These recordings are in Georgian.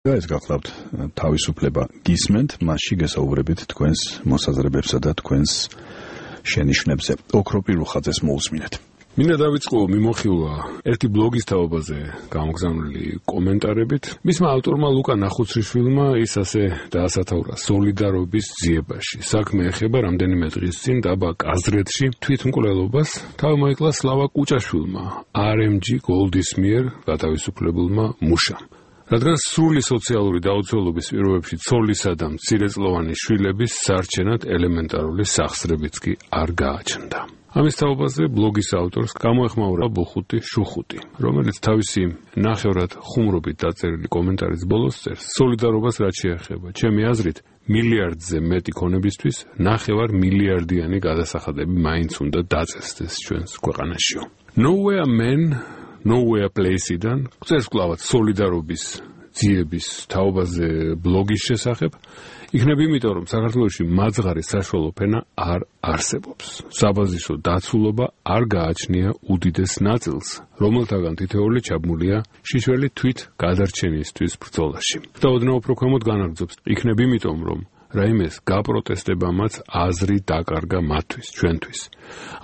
ეს გახლავთ თავისუფლება გისმენთ, მასში გესაუბრებით თქვენს მოსაზრებებსა და თქვენს შენიშვნებზე. ოქროპირ რუხაძეს მოусმინეთ. მინდა დავიწყო მიმოხილვა ერთი ბლოგის თაობაზე გამოგზავნილი კომენტარებით. მისმა ავტორმა ლუკა ნახუცრიშვილმა ის ასე დაასათაურა სოლიდარობის ძიებაში. საქმე ეხება რამდენიმე დღის წინ დაბა კაზრეთში თვითმკვლელობას თავი მოიკლა სლავა კუჭაშვილმა, RMG გოლდის მიერ გათავისუფლებულმა მუშამ. რადგან სრული სოციალური დაუცველობის პირობებში ცოლისა და მცირეწლოვანი შვილების სარჩენად ელემენტარული სახსრებიც კი არ გააჩნდა. ამის თაობაზე ბლოგის ავტორს გამოეხმაურა ბუხუტი შუხუტი, რომელიც თავისი ნახევრად ხუმრობით დაწერილი კომენტარის ბოლოს წერს: სოლიდარობას რაც შეეხება, ჩემი აზრით, მილიარდზე მეტი ქონებისთვის ნახევარ მილიარდიანი გადასახადები მაინც უნდა დაწესდეს ჩვენს ქვეყანაშიო. Nowhere man Nowhere Place-იდან წერს კლავად სოლიდარობის ძიების თაობაზე ბლოგის შესახებ, იქნება იმიტომ, რომ საქართველოში მაძღარი საშუალო ფენა არ არსებობს. საბაზისო დაცულობა არ გააჩნია უდიდეს ნაწილს, რომელთაგან თითოეული ჩაბმულია შიშველი თვით გადარჩენისთვის ბრძოლაში. და ოდნავ უფრო ქვემოთ განაგრძობს, იქნება იმიტომ, რომ რაიმეს გაპროტესტებამაც აზრი დაკარგა მათთვის, ჩვენთვის.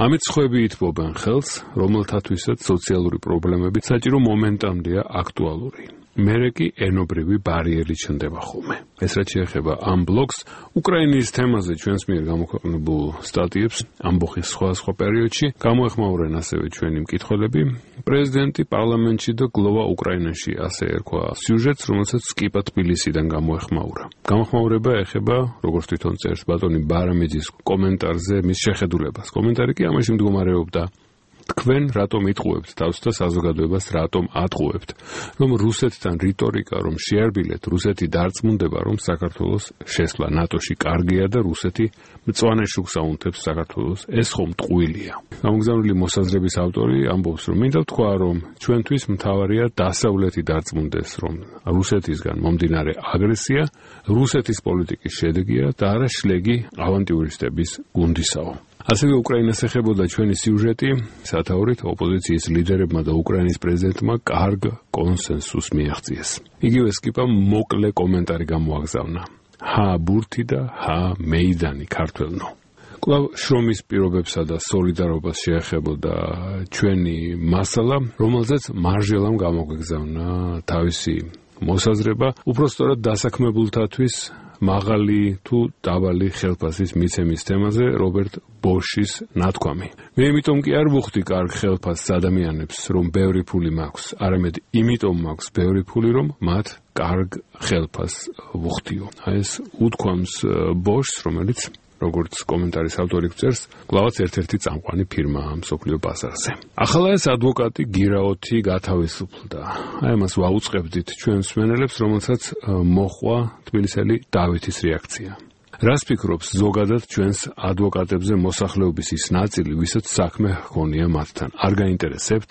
ამით სხვები ითბობენ ხელს, რომელთათვისაც სოციალური პრობლემები საჭირო მომენტამდეა აქტუალური. მერე კი ენობრივი ბარიერი ჩნდება ხოლმე. ეს რაც შეეხება ამ ბლოგს, უკრაინის თემაზე ჩვენს მიერ გამოქვეყნებულ სტატიებს ამბოხის სხვა პერიოდში გამოეხმაურენ ასევე ჩვენი მკითხველები. პრეზიდენტი პარლამენტში და გლოვა უკრაინაში, ასე ერქვა სიუჟეტს, რომელსაც სკიპა თბილისიდან გამოეხმაურა. გამოხმაურება ეხება, როგორც თვითონ წერს ბატონი ბარამიძის კომენტარზე მის შეხედულებას. კომენტარი კი ამაში მდგომარეობდა: თქვენ რატომ იტყუებთ თავს და საზოგადოებას რატომ ატყუებთ, რომ რუსეთთან რიტორიკა რომ შეარბილეთ, რუსეთი დარწმუნდება, რომ საქართველოს შესვლა ნატოში კარგია და რუსეთი მწვანე შუქს აუნთებს საქართველოს, ეს ხომ ტყუილია. გამოგზავნილი მოსაზრების ავტორი ამბობს, რომ მინდა ვთქვა, რომ ჩვენთვის მთავარია დასავლეთი დარწმუნდეს, რომ რუსეთისგან მომდინარე აგრესია რუსეთის პოლიტიკის შედეგია და არა შლეგი ავანტიურისტების გუნდისაო. ასევე უკრაინას ეხებოდა ჩვენი სიუჟეტი, სათაურით ოპოზიციის ლიდერებმა და უკრაინის პრეზიდენტმა კარგ კონსენსუსს მიაღწიეს. იგივე სკიპამ მოკლე კომენტარი გამოაგზავნა: ჰა ბურთი და ჰა მეიდანი ქართველნო. კვლავ შრომის პირობებსა და სოლიდარობას შეეხებოდა ჩვენი მასალა, რომელზეც მარჟელამ გამოგვეგზავნა თავისი მოსაზრება, უпростоრად დასაქმებულთათვის მაღალი თუ დაბალი ხელფასის მიცემის თემაზე რობერტ ბოშის ნათქვამი. მე იმიტომ კი არ ვუხდი კარგ ხელფასს ადამიანებს, რომ ბევრი ფული მაქვს, არამედ იმიტომ მაქვს ბევრი ფული, რომ მათ კარგ ხელფასს ვუხდიო. ეს უთქვამს ბოშს, რომელიც როგორც კომენტარის ავტორი წერს, კლავაც ერთ-ერთი წამყვანი ფირმაა მსოფლიო ბაზარზე. ახლა ეს ადვოკატი გირაოთი გათავისუფლდა. აი ამას ვაუწყებდით ჩვენ მსმენელებს, რომელსაც მოხვა თბილისელი დავითის რეაქცია. რას ფიქრობს ზოგადად ჩვენს ადვოკატებზე მოსახლეობის ის ნაწილი, ვისაც საქმე ჰქონია მათთან? არ გაინტერესებთ?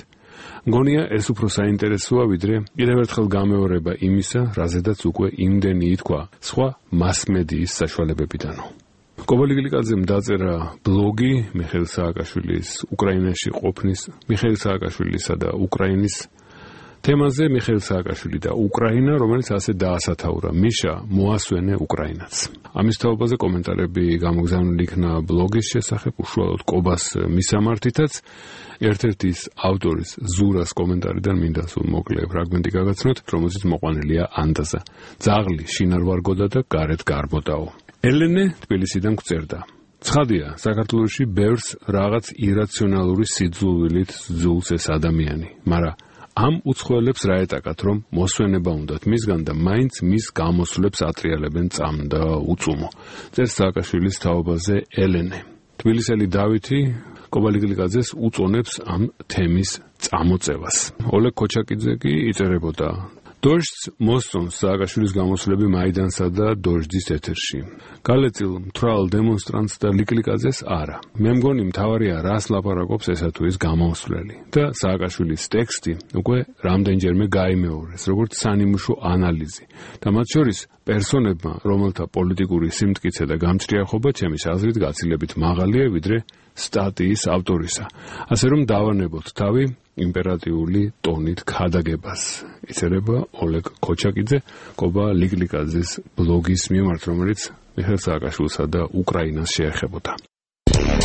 მგონია ეს უფრო საინტერესოა, ვიდრე კიდევ ერთხელ გამეორება იმისა, რაზედაც უკვე იმდენი ითქვა სხვა მასმედიის საშუალებებიდანო. კობალი გლიკაძემ დაწერა ბლოგი მიხეილ სააკაშვილის უკრაინაში ყოფნის, მიხეილ სააკაშვილისა და უკრაინის თემაზე, მიხეილ სააკაშვილი და უკრაინა, რომელიც ასე დაასათაურა: მიშა, მოასვენე უკრაინაც. ამის თაობაზე კომენტარები გამოგზავნილი იქნა ბლოგის შესახებ, უშუალოდ კობას მისამართითაც. ერთ-ერთი ავტორის ზურას კომენტარიდან მინდა სულ მოკლე ფრაგმენტი გაგაცნოთ, რომელზეც მოყვანილია ანდაზა: ძაღლი შინ არ ვარგოდა და გარეთ გარბოდაო. ელენე თბილისიდან გვწერდა: ცხადია, საქართველოში ბევრს რაღაც ირაციონალური სიძულვილით ძულს ეს ადამიანი, მაგრამ ამ უცხოელებს რა ეტაკათ, რომ მოსვენება უნდათ მისგან და მაინც მის გამოსვლებს ატრიალებენ წამ და უწუმო. წერს სააკაშვილის თაობაზე ელენე. თბილისელი დავითი კობალი გლიკაძეს უწონებს ამ თემის წამოწევას. ოლეგ ქოჩაკიძე კი იწერებოდა: დოჟდს მოსწონს სააკაშვილის გამოსვლები მაიდანსა და დოჟდის ეთერში. გალეწილ მთვრალ დემონსტრანტს და ლიკლიკაძეს არა. მე მგონი მთავარია რას ლაპარაკობს ესა თუ ის გამოსვლელი. და სააკაშვილის ტექსტი უკვე რამდენჯერმე გაიმეორეს, როგორც სანიმუშო ანალიზი. და მათ შორის პერსონებმა, რომელთა პოლიტიკური სიმტკიცე და გამჭრიახობა ჩემის აზრით გაცილებით მაღალია ვიდრე სტატიის ავტორისა. ასე რომ დავანებოთ თავი იმპერატიული ტონით ქადაგებას. იწერება ოლეგ ქოჩაკიძე კობა ლიკლიკაძის ბლოგის მიმართ, რომელიც მიხეილ სააკაშვილსა და უკრაინას შეეხებოდა.